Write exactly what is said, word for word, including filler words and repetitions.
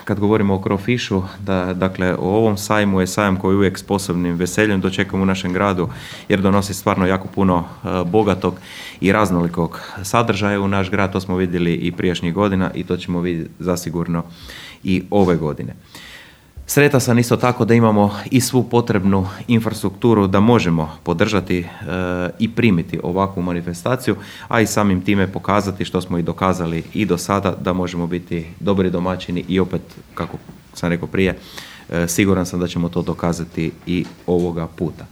kad govorimo o Crawfishu, da, dakle, o ovom sajmu je sajam koji uvijek s posebnim veseljem dočekamo u našem gradu, jer donosi stvarno jako puno uh, bogatog i raznolikog sadržaja u naš grad. To smo vidjeli i prijašnjih godina i to ćemo vidjeti zasigurno i ove godine. Sretan sam isto tako da imamo i svu potrebnu infrastrukturu da možemo podržati e, i primiti ovakvu manifestaciju, a i samim time pokazati, što smo i dokazali i do sada, da možemo biti dobri domaćini i opet, kako sam rekao prije, e, siguran sam da ćemo to dokazati i ovoga puta.